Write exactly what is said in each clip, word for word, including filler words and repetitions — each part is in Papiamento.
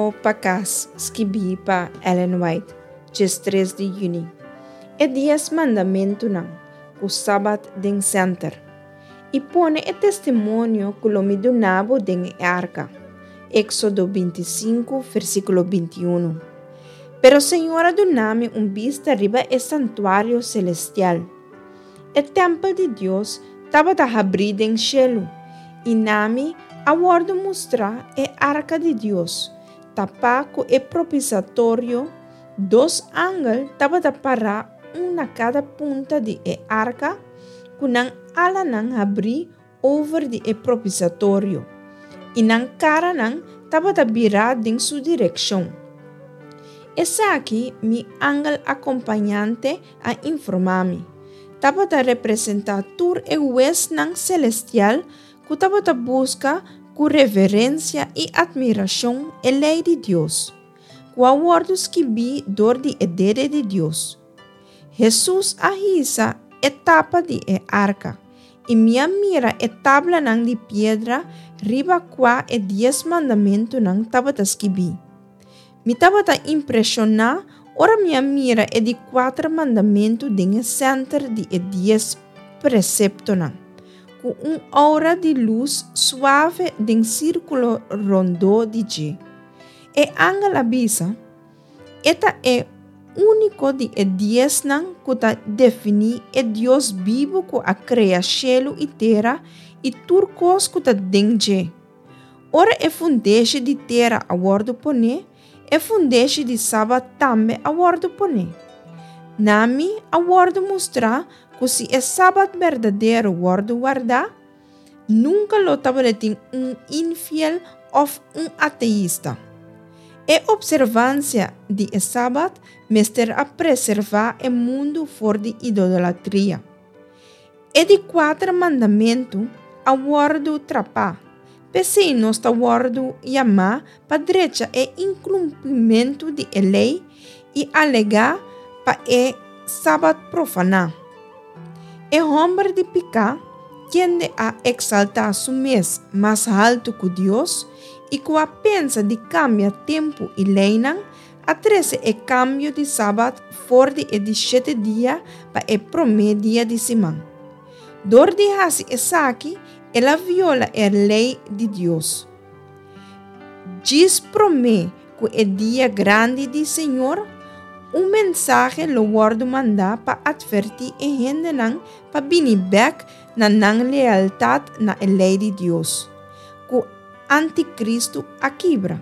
Rumbo pa Kas, skibí pa Ellen White, diestres di yüni. E Dies Mandamentunan, ku Sabat den senter. I pone e testimonio ku lo mi duna bo den e arka. Éksodo binti sinku, versíkulo binti unu. Pero Señor a duna mi un bista riba e santuario selestial. E tèmpel di Dios tabata habrí den shelu, i na mi a wòrdu mustrá e arka di Dios, tapá ku e propisiatorio, dos angel tabata pará un na kada punta di e arka, ku nan alanan habrí over di e propisiatorio, i nan karanan tabata birá den su direkshon. Esaki, mi angel akompañante a informá mi, tabata representá tur e huesnan selestial ku tabata buska ku reverensia i atmirashon e lei di Dios, ku a wòrdu skibí dor di e dede di Dios. Hesus a hisa e tapa di e arka, i mi a mira e tablanan di piedra riba kua e Dies Mandamentunan tabata skibí. Mi tabata impreshoná ora mi a mira e di kuater mandamentu den e sènter di e dies preseptonan, ku un oura di lus suave den sírkulo rondó di dje. E angel a bisa, E ta e úniko di e diesnan ku ta definí e Dios bibu ku a krea shelu i tera i tur kos ku ta den dje. Ora e fundeshi di tera a wòrdu poné, e fundeshi di Sabat tambe a wòrdu poné. Na mi a wòrdu mustrá ku si e Sabat berdadero wòrdu wardá, nunka lo tabatin un infiel òf un ateista. E opservansia di e Sabat mester a preservá e mundu for di idolatria. E di kuater mandamentu a wòrdu trapá, p'esei nos ta wòrdu yamá pa drecha e inkumplimentu di e lei i alegá pa e Sabat profaná. E hòmber di piká, kende a eksaltá su mes mas haltu ku Dios i ku a pensa di kambia tempu i leinan, a trese e kambio di Sabat for di e di shete dia pa e promé dia di siman. Dor di hasi esaki, el a viola e lei di Dios. Djis promé ku e dia grandi di Señor, un mensahe lo wòrdu mandá pa atvertí e hendenan pa bini bèk na nan lealtat na e lei di Dios, ku antikristu a kibra.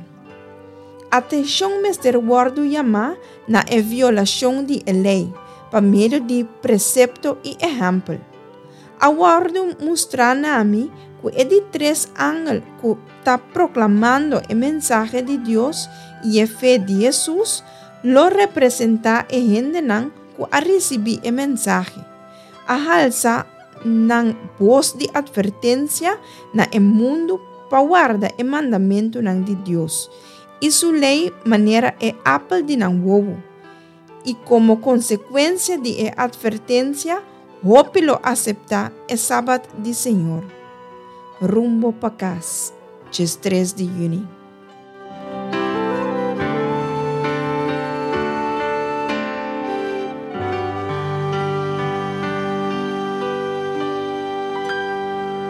Atenshon mester wòrdu yamá na e violashon di e lei pa medio di presepto i ehèmpel. A wòrdu mustrá na mi ku e di tres angel ku ta proklamando e mensahe di Dios i e fe di Hesus lo representá e hendenan ku a risibí e mensahe, a halsa nan bos di atvertensia na e mundu pa warda e mandamentunan di Dios i su lei manera e apel di nan wowo, i komo konsekuensia di e atvertensia hopi lo aseptá e Sabat di Señor. Rumbo pa Kas, diestres di yüni.